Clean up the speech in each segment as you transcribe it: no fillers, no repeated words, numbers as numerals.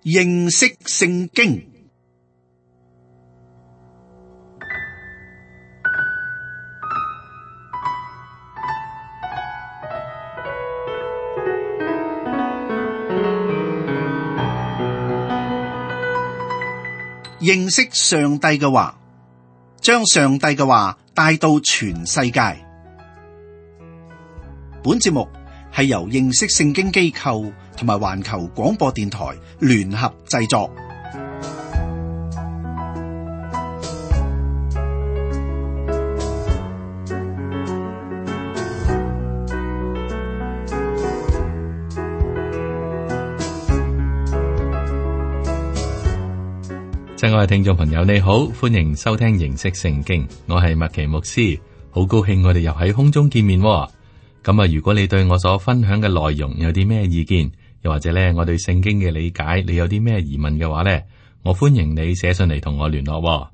認識聖經。認識上帝嘅話，將上帝嘅話帶到全世界。本節目係由認識聖經機構同埋環球廣播電台聯合製作。親愛嘅聽眾朋友，你好，歡迎收聽認識聖經，我係麥奇牧師，好高興我哋又喺空中見面。咁啊，如果你對我所分享嘅內容有啲咩意見，又或者咧我對聖經嘅理解，你有啲咩疑問嘅話咧，我歡迎你寫信嚟同我聯絡。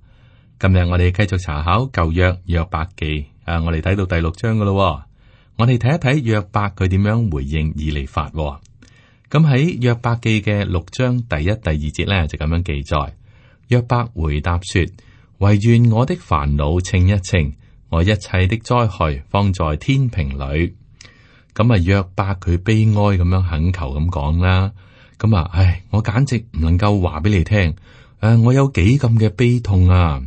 今日我哋繼續查考舊約約伯記，我哋睇到第6章噶咯。我哋睇一睇約伯佢點樣回應以利法。咁喺約伯記嘅6章第1、第2節咧就咁樣記載。約伯回答說：惟願我的煩惱稱一稱，我一切的災害放在天平裏。咁啊，約伯佢悲哀咁樣懇求咁講啦。咁啊，我簡直唔能夠話俾你聽，我有幾咁嘅悲痛啊，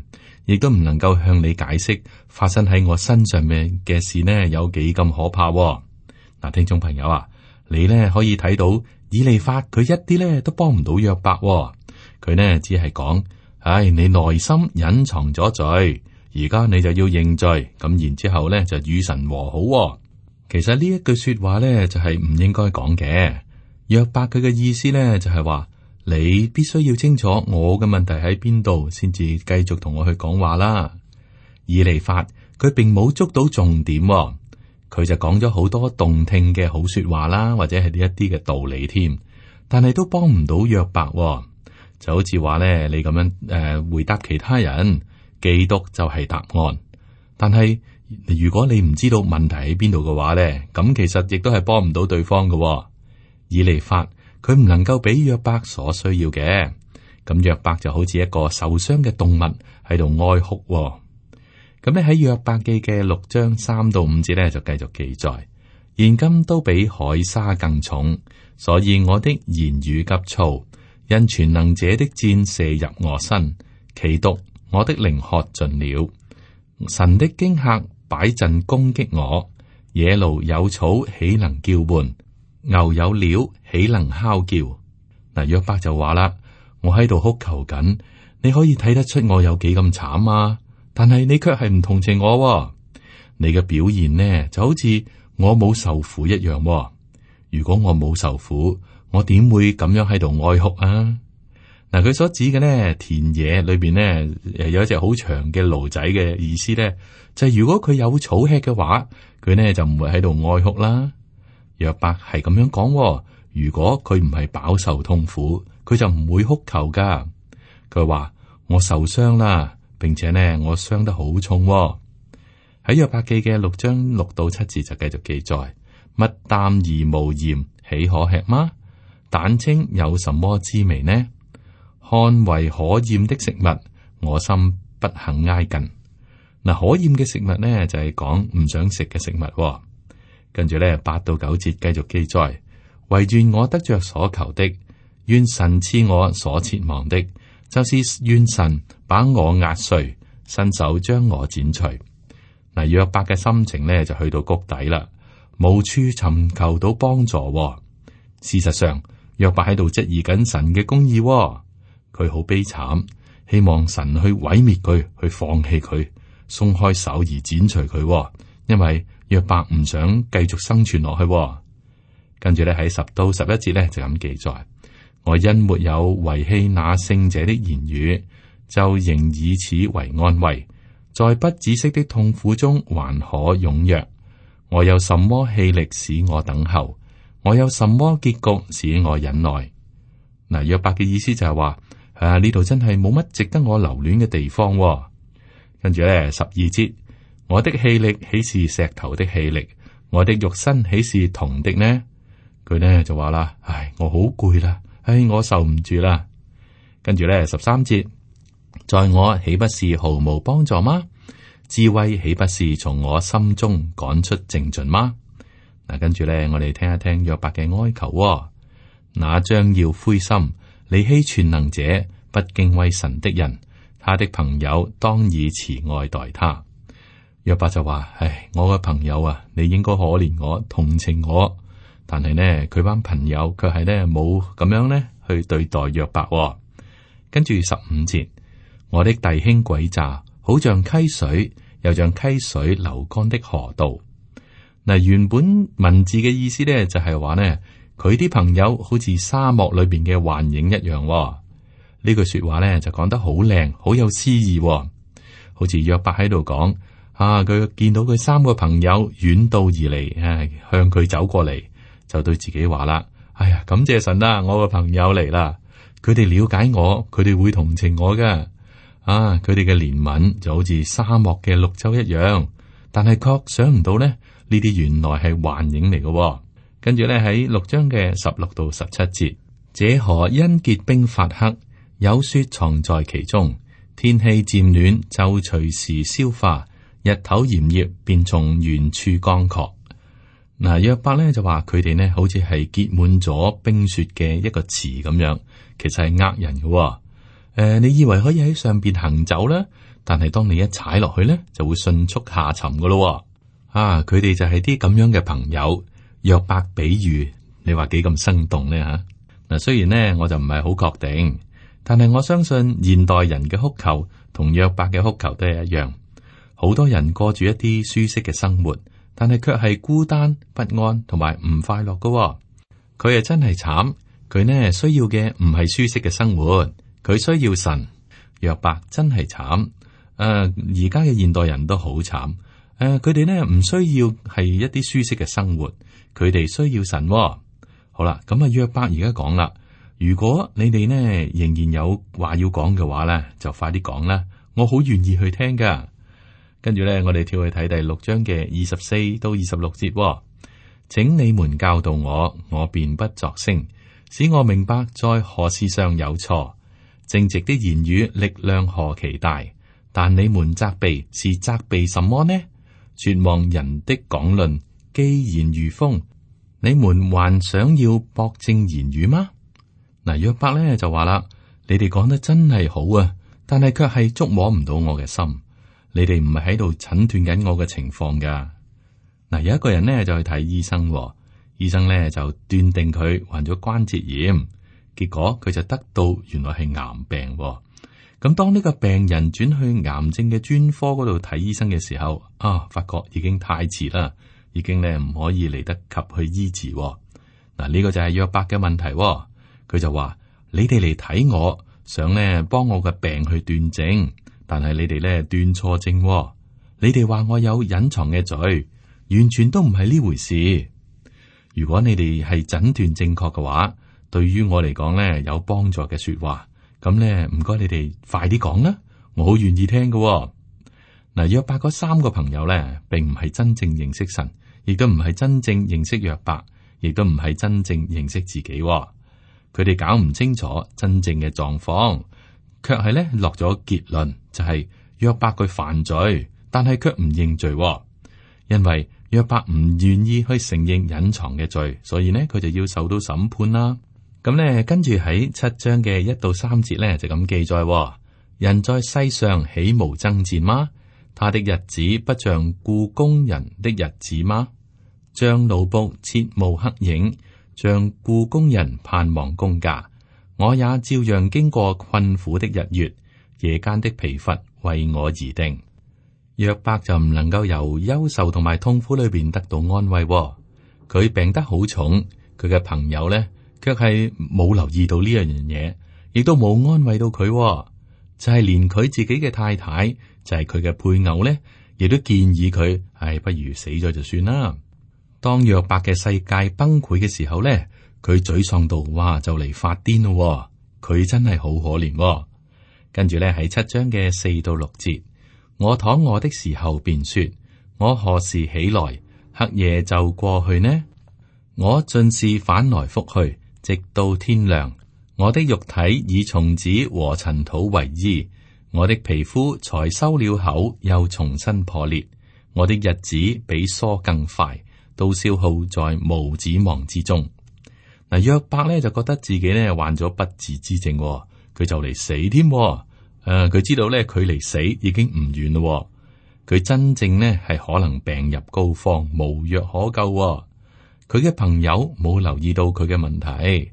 亦都唔能夠向你解釋發生喺我身上面嘅事呢，有幾咁可怕。嗱，聽眾朋友啊，你呢可以睇到以利法佢一啲呢都幫唔到約伯。佢呢只係講，你內心隱藏咗罪，而家你就要認罪，咁然之後呢就與神和好。其實呢一句說話呢就係唔應該講嘅。約伯佢嘅意思呢就係話，你必須要清楚我嘅問題喺邊度，先至繼續同我去講話啦。以利法佢並冇捉到重點，佢就講咗好多動聽嘅好說話啦，或者係呢一啲嘅道理添，但係都幫唔到約伯。就好似話咧，你咁樣回答其他人，基督就係答案。但係如果你唔知道問題喺邊度嘅話咧，咁其實亦都係幫唔到對方嘅。以利法佢唔能夠俾約伯所需要嘅，咁約伯就好似一個受傷嘅動物喺度哀哭。咁咧喺約伯記嘅6章3到5節咧就繼續記載：現今都比海沙更重，所以我的言語急躁。因全能者的箭射入我身，其毒我的靈喝盡了。神的驚嚇擺陣攻擊我，野驢有草豈能叫喚？牛有料豈能哮叫？嗱，約伯就話啦：我喺度哭求緊，你可以睇得出我有幾咁慘啊！但係你卻係唔同情我。你嘅表現呢，就好似我冇受苦一樣。如果我冇受苦，我點會咁樣喺度哀哭啊？嗱，佢所指嘅呢，田野裏邊呢，有一隻好長嘅驢仔嘅意思呢，就係如果佢有草吃嘅話，佢呢就唔會喺度哀哭啦。約伯係咁樣講，如果佢唔係飽受痛苦，佢就唔會哭求噶。佢話我受傷啦，並且呢我傷得好重。喺約伯記嘅6章6到7節就繼續記載：物淡而無鹽，豈可吃嗎？蛋清有什麼滋味呢？看為可厭的食物，我心不肯挨近。嗱，可厭嘅食物呢，就係講唔想食嘅食物。跟住呢8到9節繼續記載：惟願我得着所求的，願神賜我所切望的，就是願神把我壓碎，伸手將我剪除。嗱，約伯嘅心情呢，就去到谷底啦，無處尋求到幫助。事實上，約伯喺度質疑緊神嘅公義，佢好悲慘，希望神去毀滅佢，去放棄佢，鬆開手而剪除佢，因為約伯唔想繼續生存落去。跟住咧喺10到11節咧就咁記載：我因沒有遺棄那聖者的言語，就仍以此為安慰，在不止息的痛苦中還可踴躍。我有什麼氣力使我等候？我有什麼結局使我忍耐？嗱，約伯嘅意思就係話，呢度真係冇乜值得我留戀嘅地方。跟住咧12節，我的氣力豈是石頭的氣力？我的肉身豈是銅的呢？佢呢就話啦，我好攰啦，唉，我受唔住啦。跟住咧13節，在我豈不是毫無幫助嗎？智慧豈不是從我心中趕出淨盡嗎？嗱，跟住咧，我哋聽一聽約伯嘅哀求喎。那將要灰心離棄全能者，不敬畏神的人，他的朋友當以慈愛待他。約伯就話：唉，我嘅朋友啊，你應該可憐我、同情我。但係呢，佢班朋友卻係呢冇咁樣呢去對待約伯喎。跟住15節，我的弟兄詭詐，好像溪水，又像溪水流乾的河道。嗱，原本文字嘅意思呢，就係話呢，佢啲朋友好似沙漠裏邊嘅幻影一樣喎。呢句說話呢，就講得好靚，好有詩意喎。好似約伯喺度講啊，佢見到佢3個朋友遠道而嚟，向佢走過嚟，就對自己話啦：哎呀，感謝神啦，我個朋友嚟啦，佢哋了解我，佢哋會同情我噶。啊，佢哋嘅憐憫就好似沙漠嘅綠洲一樣，但係確想唔到呢，呢啲原來係幻影嚟嘅。跟住咧喺6章嘅16到17節，這河因結冰發黑，有雪藏在其中，天氣漸暖就隨時消化，日頭炎熱便從原處乾涸。嗱，約伯咧就話佢哋呢好似係結滿咗冰雪嘅一個池咁樣，其實係呃人嘅。你以為可以喺上邊行走啦，但係當你一踩落去咧，就會迅速下沉噶咯。啊，佢哋就係啲咁樣嘅朋友。約伯比喻，你話幾咁生動呢？吓？嗱，雖然呢我就唔係好確定，但係我相信現代人嘅哭求同約伯嘅哭求都係一樣。好多人過住一啲舒適嘅生活，但係卻係孤單不安同埋唔快樂噶。佢係真係慘，佢呢需要嘅唔係舒適嘅生活。佢需要神。約伯真係慘。而家嘅現代人都好慘。佢哋呢唔需要係一啲舒適嘅生活，佢哋需要神。好啦，咁約伯而家講啦，如果你哋呢仍然有話要講嘅話咧，就快啲講啦，我好願意去聽噶。跟住咧，我哋跳去睇第6章嘅24到26節。請你們教導我，我便不作聲，使我明白在何事上有錯。正直的言語力量何其大，但你們責備是責備什麼呢？絕望人的講論既然如風，你們還想要駁正言語嗎？嗱，約伯咧就話啦，你哋講得真係好啊，但係卻係觸摸唔到我嘅心。你哋唔係喺度診斷緊我嘅情況噶。嗱，有一個人呢就去睇醫生，醫生咧就斷定佢患咗關節炎。結果佢就得到原來係癌病。咁當呢個病人轉去癌症嘅專科嗰度睇醫生嘅時候，發覺已經太遲啦，已經咧唔可以嚟得及去醫治。嗱，呢個就係約伯嘅問題。佢就話：你哋嚟睇我，想咧幫我嘅病去斷症，但係你哋咧斷錯症。你哋話我有隱藏嘅罪，完全都唔係呢回事。如果你哋係診斷正確嘅話，對於我嚟講咧有幫助嘅說話，咁咧唔該你哋快啲講啦，我好願意聽嘅。嗱，約伯嗰3個朋友咧，並唔係真正認識神，亦都唔係真正認識約伯，亦都唔係真正認識自己。佢哋搞唔清楚真正嘅狀況，卻係咧落咗結論，就係約伯佢犯罪，但係卻唔認罪，因為約伯唔願意去承認隱藏嘅罪，所以呢，佢就要受到審判啦。咁咧，跟住喺7章嘅1到3節咧，就咁記載：人在世上豈無爭戰嗎？他的日子不像雇工人的日子嗎？像奴僕切慕黑影，像雇工人盼望工價。我也照樣經過困苦的日月，夜間的疲乏為我而定。約伯就唔能夠由憂愁同埋痛苦裏邊得到安慰。佢病得好重，佢嘅朋友咧，卻係冇留意到呢樣嘢，亦都冇安慰到佢。就係連佢自己嘅太太，就係佢嘅配偶咧，亦都建議佢，不如死咗就算啦。當約伯嘅世界崩潰嘅時候咧，佢沮喪到，哇，就嚟發癲咯。佢真係好可憐。跟住咧喺7章嘅4到6節，我躺臥的時候便說：我何時起來？黑夜就過去呢？我盡是反來覆去，直到天亮。我的肉體以蟲子和塵土為衣，我的皮膚才收了口，又重新破裂。我的日子比梭更快，都消耗在無指望之中。嗱，約伯咧就覺得自己咧患咗不治之症，佢就嚟死添。佢知道咧距離死已經唔遠咯。佢真正呢係可能病入膏肓，無藥可救。佢嘅朋友冇留意到佢嘅問題，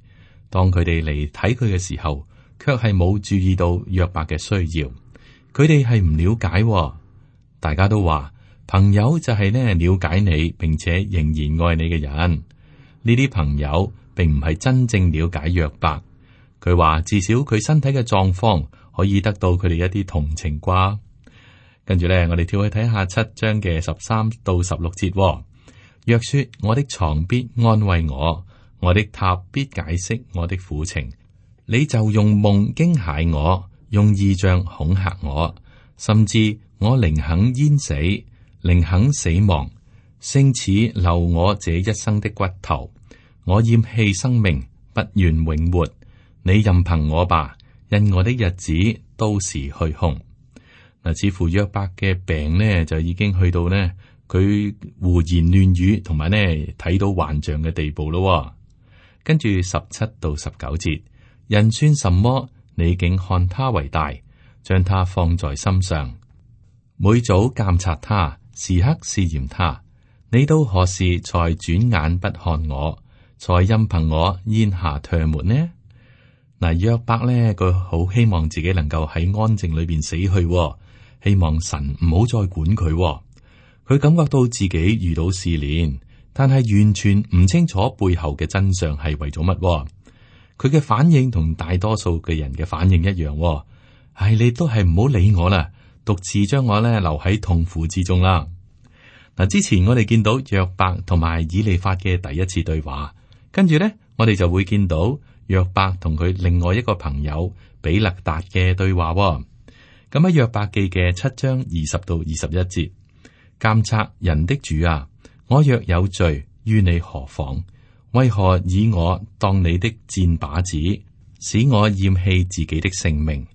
當佢哋嚟睇佢嘅時候，卻係冇注意到約伯嘅需要。佢哋係唔了解。大家都話朋友就係呢了解你，並且仍然愛你嘅人。呢啲朋友並唔係真正了解約伯。佢話至少佢身體嘅狀況可以得到佢哋一啲同情啩。跟住咧，我哋跳去睇下7章嘅13到16節。若說我的床必安慰我，我的榻必解釋我的苦情，你就用夢驚嚇我，用異象恐嚇我，甚至我寧肯淹死，寧肯死亡，勝似流我這一生的骨頭。我厭棄生命，不願永活。你任憑我吧，因我的日子都是虛空。嗱，似乎約伯嘅病呢，就已經去到呢，佢胡言亂語，同埋呢睇到幻象嘅地步咯。跟住17到19節，人算什麼？你竟看他為大，將他放在心上，每早監察他，時刻試驗他。你到何時才轉眼不看我，才任憑我咽下唾沫呢？嗱，約伯呢，佢好希望自己能夠喺安靜裏邊死去，希望神唔好再管佢。佢感覺到自己遇到試煉，但係完全唔清楚背後嘅真相係為咗乜。佢嘅反應同大多數嘅人嘅反應一樣，唉，你都係唔好理我啦，獨自將我咧留喺痛苦之中啦。嗱，之前我哋見到約伯同埋以利法嘅第一次對話，跟住咧我哋就會見到約伯同佢另外一個朋友比勒達嘅對話。咁喺約伯記嘅7章20到21節，監察人的主啊，我若有罪，於你何妨？為何以我當你的箭靶子，使我厭棄自己的性命？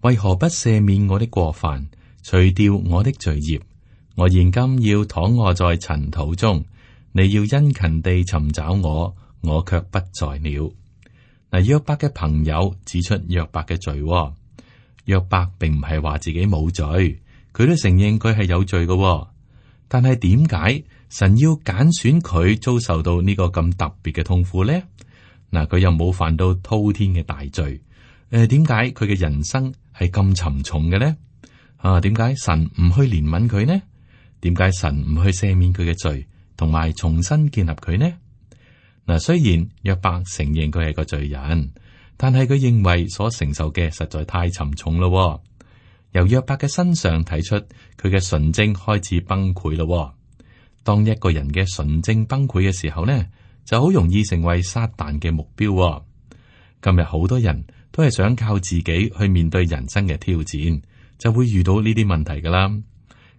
為何不赦免我的過犯，除掉我的罪孽？我現今要躺臥在塵土中，你要殷勤地尋找我，我卻不在了。嗱，約伯嘅朋友指出約伯嘅罪。約伯並唔係話自己冇罪，佢都承認佢係有罪嘅。但係點解神要揀選佢遭受到呢個咁特別嘅痛苦呢？嗱，佢又冇犯到滔天嘅大罪。點解佢嘅人生係咁沉重嘅呢？點解神唔去憐憫佢呢？點解神唔去赦免佢嘅罪，同埋重新建立佢呢？嗱，雖然約伯承認佢係個罪人，但係佢認為所承受嘅實在太沉重咯。由約伯嘅身上睇出佢嘅純正開始崩潰咯。當一個人嘅純正崩潰嘅時候呢，就好容易成為撒旦嘅目標。今日好多人都係想靠自己去面對人生嘅挑戰，就會遇到呢啲問題噶啦。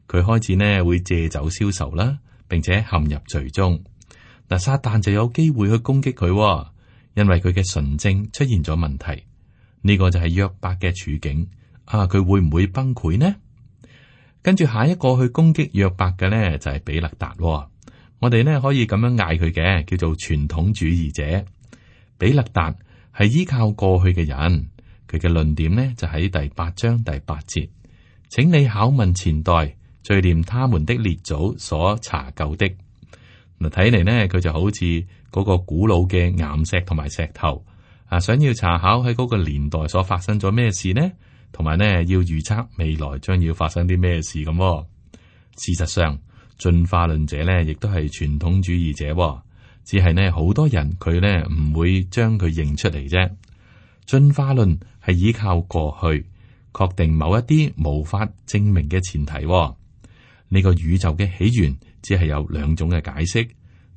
佢開始呢會借酒消愁啦，並且陷入罪中。嗱，撒旦就有機會去攻擊佢，因為佢嘅純正出現咗問題。呢個就係約伯嘅處境。佢會唔會崩潰呢？跟住下一個去攻擊約伯嘅呢，就係比勒達。我哋呢可以咁樣嗌佢嘅，叫做傳統主義者。比勒達係依靠過去嘅人，佢嘅論點呢就喺第8章第8節，請你考問前代，追念他們的列祖所查究的。嗱，睇嚟呢，佢就好似嗰個古老嘅岩石同埋石頭，想要查考喺嗰個年代所發生咗咩事呢？同埋呢，要預測未來將要發生啲咩事咁。事實上，進化論者呢亦都係傳統主義者，只係呢好多人佢呢唔會將佢認出嚟啫。進化論係依靠過去確定某一啲無法證明嘅前提。呢個宇宙嘅起源只係有兩種嘅解釋，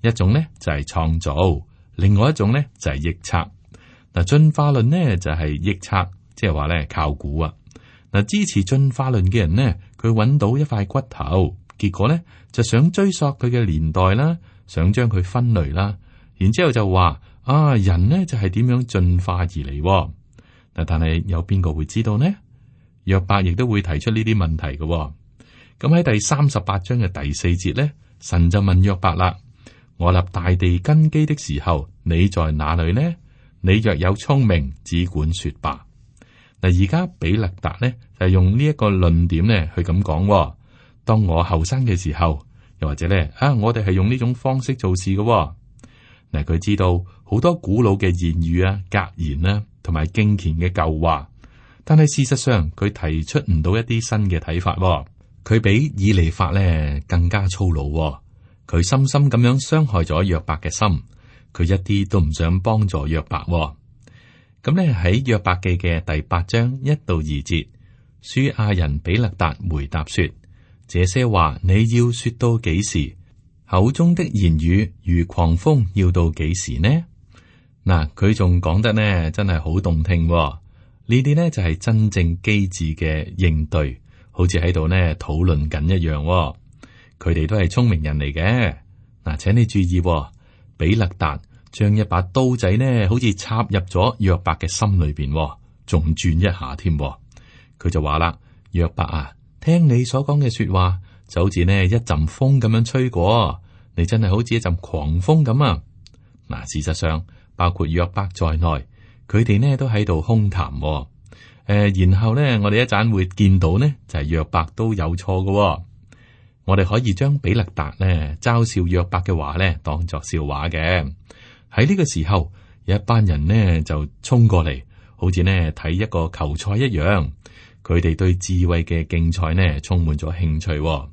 一種呢就係創造，另外一種呢就係臆測。嗱，進化論呢就係臆測。即係話咧，靠估啊！嗱，支持進化論嘅人呢，佢揾到一塊骨頭，結果咧就想追溯佢嘅年代啦，想將佢分類啦，然之後就話人呢就係點樣進化而嚟喎。但係有邊個會知道呢？約伯亦都會提出呢啲問題嘅喎。咁喺第38章嘅第4節呢，神就問約伯啦：我立大地根基的時候，你在哪裏呢？你若有聰明，只管說吧。嗱，而家比勒達呢就用呢一個論點呢去咁講喎。當我後生嘅時候，又或者呢，我哋係用呢種方式做事嘅喎。嗱，佢知道好多古老嘅言語啊、格言啦，同埋敬虔嘅舊話，但係事實上佢提出唔到一啲新嘅睇法喎。佢比以利法呢更加粗魯喎。佢深深咁樣傷害咗約伯嘅心，佢一啲都唔想幫助約伯喎。咁呢喺約伯記嘅第8章1到2節，書亞人比勒達回答說：這些話你要說到幾時？口中的言語如狂風，要到幾時呢？嗱，佢仲講得呢，真係好動聽喎。呢啲呢就係真正機智嘅應對，好似喺度呢討論緊一樣喎。佢哋都係聰明人嚟嘅。嗱，請你注意喎，比勒達將一把刀仔呢，好似插入咗約伯嘅心裏邊喎，仲轉一下添。佢就話啦：約伯啊，聽你所講嘅說話，就好似呢一陣風咁樣吹過，你真係好似一陣狂風咁啊！嗱，事實上包括約伯在內，佢哋呢都喺度空談。然後呢，我哋一陣會見到呢，就係約伯都有錯嘅。我哋可以將比勒達呢嘲笑約伯嘅話呢當作笑話嘅。喺呢個時候，有一班人呢就衝過嚟，好似呢睇一個球賽一樣。佢哋對智慧嘅競賽呢充滿咗興趣。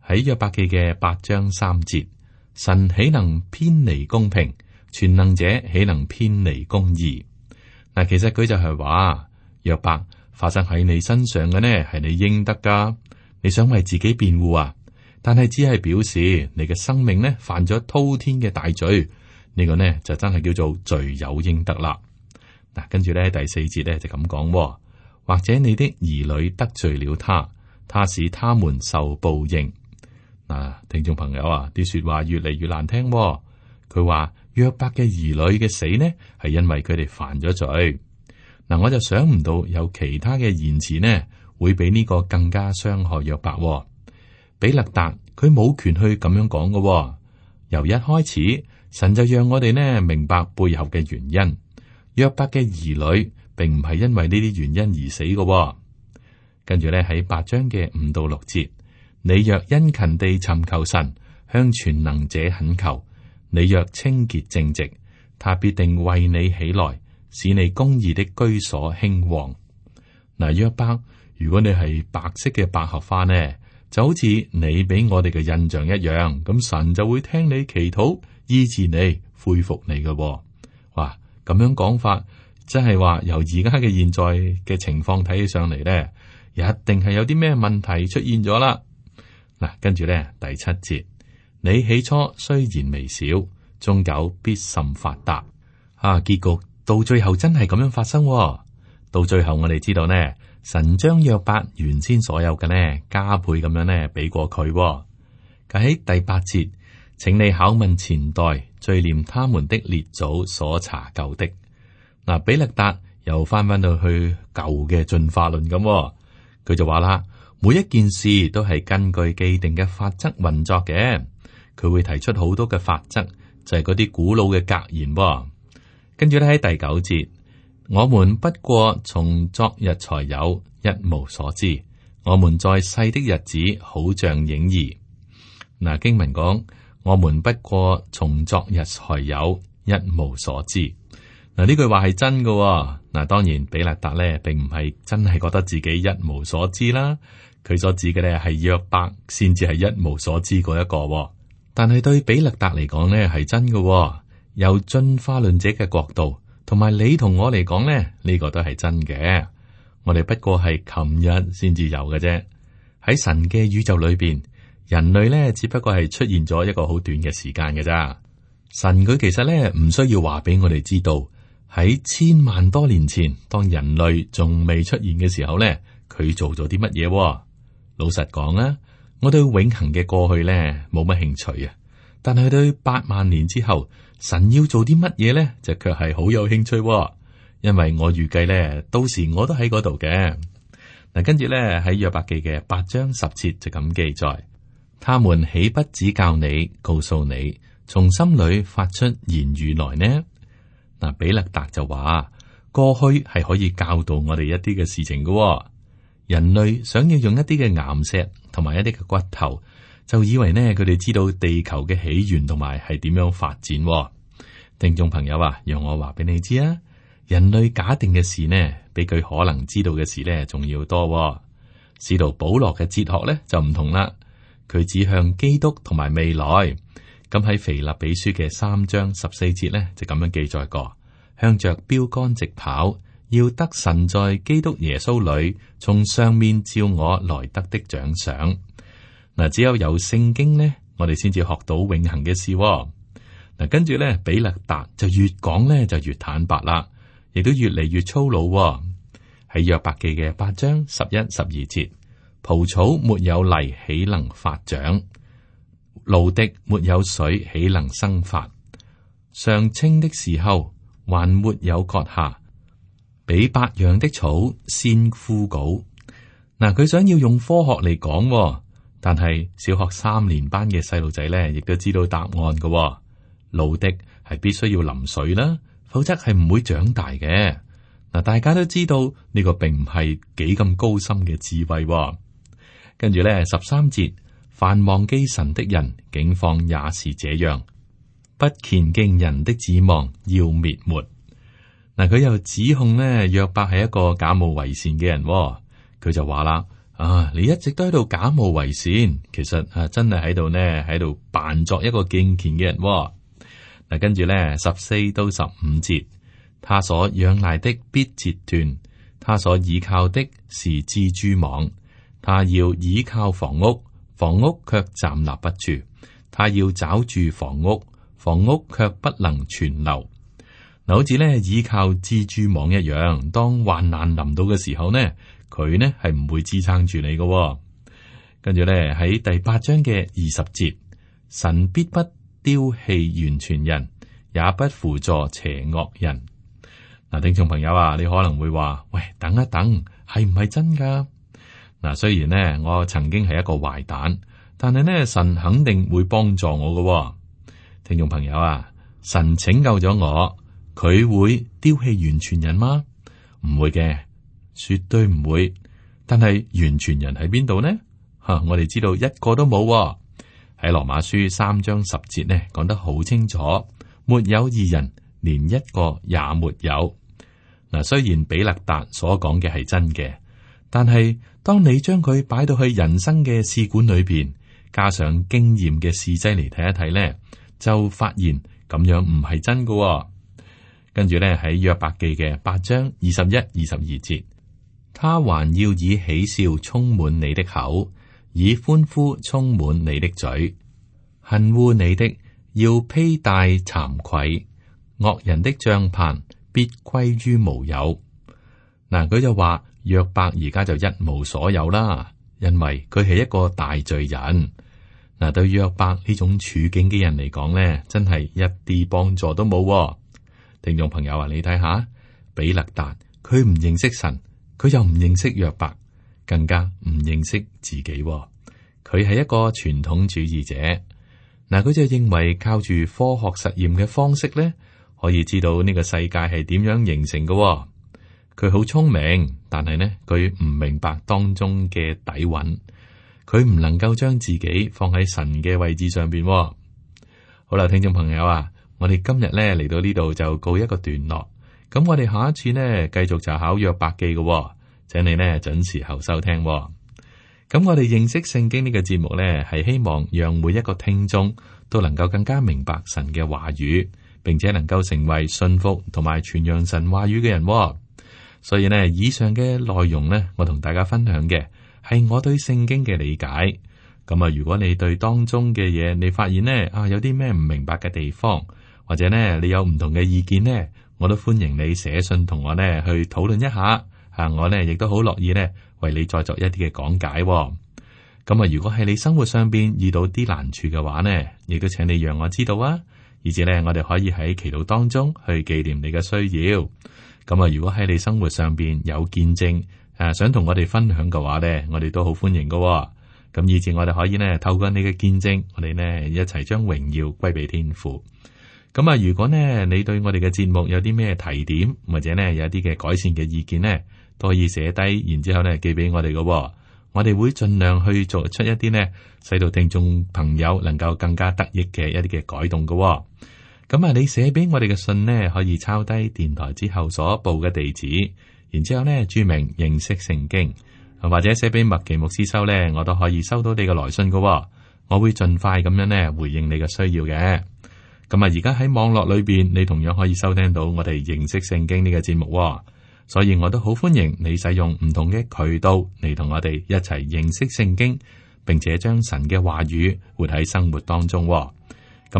喺約伯記嘅8章3節，神豈能偏離公平？全能者豈能偏離公義？嗱，其實佢就係話，約伯，發生喺你身上嘅呢係你應得噶。你想為自己辯護啊？但係只係表示你嘅生命呢犯咗滔天嘅大罪，呢個呢就真係叫做罪有應得啦。嗱，跟住咧第4節咧就咁講，或者你的兒女得罪了他，他使他們受報應。嗱，聽眾朋友啊，啲說話越嚟越難聽。佢話約伯嘅兒女嘅死呢係因為佢哋犯咗罪。嗱，我就想唔到有其他嘅言辭呢會比呢個更加傷害約伯。比勒達佢冇權去咁樣講嘅。由一開始，神就讓我哋呢明白背後嘅原因。約伯嘅兒女並唔係因為呢啲原因而死嘅。跟住咧喺8章嘅5到6節，你若殷勤地尋求神，向全能者懇求，你若清潔正直，他必定為你起來，使你公義的居所興旺。嗱，約伯，如果你係白色嘅百合花呢，就好似你俾我哋嘅印象一樣，咁神就會聽你祈禱，醫治你，恢復你嘅。哇，咁樣講法，真係話由而家嘅現在嘅情況睇起上嚟呢，一定係有啲咩問題出現咗啦。嗱，跟住咧第7節，你起初雖然微小，終久必甚發達。結局到最後真係咁樣發生。到最後我哋知道呢，神將約伯原先所有嘅呢加倍咁樣呢俾過佢。喺第8節，請你考問前代，追念他們的列祖所查究的。嗱，比勒達又翻到去舊嘅進化論咁，佢就話啦，每一件事都係根據既定嘅法則運作嘅。佢會提出好多嘅法則，就係嗰啲古老嘅格言。跟住咧喺第9節，我們不過從昨日才有，一無所知。我們在世的日子，好像影兒。嗱，經文講，我們不過從昨日才有，一無所知。嗱，呢句話係真嘅。嗱，當然比勒達咧並唔係真係覺得自己一無所知啦。佢所指嘅咧係約伯先至係一無所知嗰一個。但係對比勒達嚟講咧係真嘅。由進化論者嘅角度，同埋你同我嚟講咧，呢個都係真嘅。我哋不過係琴日先至有嘅啫。喺神嘅宇宙裏邊，人類咧只不過係出現咗一個好短嘅時間嘅咋。神佢其實咧唔需要話俾我哋知道，喺千萬多年前，當人類仲未出現嘅時候咧，佢做咗啲乜嘢？老實講啊，我對永恆嘅過去咧冇乜興趣啊。但係對8萬年之後，神要做啲乜嘢咧，就卻係好有興趣喎。因為我預計咧，到時我都喺嗰度嘅。嗱，跟住咧喺約伯記嘅8章10節就咁記載：他們豈不指教你，告訴你，從心裏發出言語來呢？嗱，比勒達就話過去係可以教導我哋一啲嘅事情嘅喎。人類想要用一啲嘅岩石同埋一啲嘅骨頭，就以為呢佢哋知道地球嘅起源同埋係點樣發展喎。聽眾朋友啊，讓我話俾你知啊，人類假定嘅事呢，比佢可能知道嘅事呢仲要多喎。使徒保羅嘅哲學呢就唔同啦，佢指向基督同埋未來。咁喺腓立比書嘅3章14節呢，就咁樣記載過：向着標杆直跑，要得神在基督耶穌裏從上面照我來得的獎賞。嗱，只有聖經呢，我哋先至學到永恆嘅事喎。嗱，跟住咧，比勒達就越講咧就越坦白啦，亦都越嚟越粗魯喎。喺約伯記嘅8章11、12節，蒲草沒有泥，豈能發長？蘆荻沒有水，豈能生發？尚青的時候，還沒有割下，比百樣的草先枯槁。嗱，佢想要用科學嚟講喎，但係小學3年班嘅細路仔咧，亦都知道答案嘅喎。蘆荻係必須要淋水啦，否則係唔會長大嘅。嗱，大家都知道呢個並唔係幾咁高深嘅智慧喎。跟住咧13節，凡忘記神的人，境況也是這樣，不虔敬人的指望要滅沒。嗱，佢又指控咧約伯係一個假冒為善嘅人喎。佢就話啦：你一直都喺度假冒為善，其實真係喺度呢，喺度扮作一個敬虔嘅人喎。嗱，跟住咧14到15節，他所仰賴的必折斷，他所倚靠的是蜘蛛網。他要倚靠房屋，房屋卻站立不住；他要抓住房屋，房屋卻不能存留。嗱，好似咧倚靠蜘蛛網一樣，當患難臨到嘅時候呢，佢呢係唔會支撐住你嘅喎。跟住咧喺第8章嘅20節，神必不丟棄完全人，也不輔助邪惡人。嗱，聽眾朋友啊，你可能會話：喂，等一等，係唔係真噶？嗱，雖然呢，我曾經係一個壞蛋，但係呢，神肯定會幫助我嘅喎。聽眾朋友啊，神拯救咗我，佢會丟棄完全人嗎？唔會嘅，絕對唔會。但係完全人喺邊度呢？我哋知道一個都冇喎。喺羅馬書3章10節呢，講得好清楚，沒有義人，連一個也沒有。嗱，雖然比勒達所講嘅係真嘅，但係當你將佢擺到去人生嘅試管裏邊，加上經驗嘅試劑嚟睇一睇呢，就發現咁樣唔係真㗎喎。跟住咧喺約伯記嘅8章21、22節，他還要以喜笑充滿你的口，以歡呼充滿你的嘴。恨惡你的要披戴慚愧，惡人的帳棚必歸於無有。嗱，佢就話約伯而家就一無所有啦，因為佢係一個大罪人。嗱，對約伯呢種處境嘅人嚟講咧，真係一啲幫助都冇喎。聽眾朋友啊，你睇下比勒達，佢唔認識神，佢又唔認識約伯，更加唔認識自己喎。佢係一個傳統主義者。嗱，佢就認為靠住科學實驗嘅方式咧，可以知道呢個世界係點樣形成嘅喎。佢好聰明，但係呢，佢唔明白當中嘅底蘊，佢唔能夠將自己放喺神嘅位置上邊喎。好啦，聽眾朋友啊，我哋今日咧嚟到呢度就告一個段落。咁我哋下一次呢，繼續就考約伯記嘅喎，請你呢準時候收聽喎。咁我哋認識聖經呢個節目呢，係希望讓每一個聽眾都能夠更加明白神嘅話語，並且能夠成為信服同埋傳揚神話語嘅人喎。所以呢，以上嘅內容呢，我同大家分享嘅係我對聖經嘅理解。咁啊，如果你對當中嘅嘢，你發現呢有啲咩唔明白嘅地方，或者呢你有唔同嘅意見呢，我都歡迎你寫信同我呢去討論一下。我呢亦都好樂意呢為你再作一啲嘅講解喎。咁啊，如果係你生活上邊遇到啲難處嘅話呢，亦都請你讓我知道啊，以至呢，我哋可以喺祈禱當中去紀念你嘅需要。咁啊，如果喺你生活上邊有見證想同我哋分享嘅話呢，我哋都好歡迎㗎。咁以至我哋可以呢，透過你嘅見證，我哋呢一齊將榮耀歸俾天父。咁啊，如果呢你對我哋嘅節目有啲咩提點，或者呢有啲嘅改善嘅意見呢，都可以寫低，然之後呢寄俾我哋㗎。我哋會盡量去做出一啲呢，使到聽眾朋友能夠更加得益嘅一啲嘅改動㗎。咁啊，你寫俾我哋嘅信呢，可以抄低電台之後所報嘅地址，然之後呢注明認識聖經，或者寫俾麥奇牧師收呢，我都可以收到你嘅來信㗎。我會盡快咁樣呢回應你嘅需要嘅。咁啊，而家喺網絡裏邊，你同樣可以收聽到我哋認識聖經呢個節目，所以我都好歡迎你使用唔同嘅渠道嚟同我哋一齊認識聖經，並且將神嘅話語活喺生活當中。咁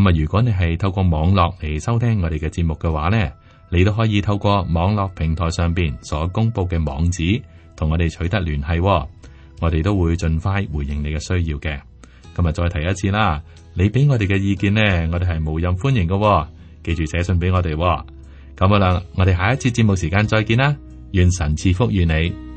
啊，如果你係透過網絡嚟收聽我哋嘅節目嘅話呢，你都可以透過網絡平台上邊所公布嘅網址同我哋取得聯繫，我哋都會盡快回應你嘅需要嘅。今日再提一次啦，你俾我哋嘅意見呢，我哋係無任歡迎嘅，記住寫信俾我哋。咁好啦，我哋下一次節目時間再見啦，願神賜福於你。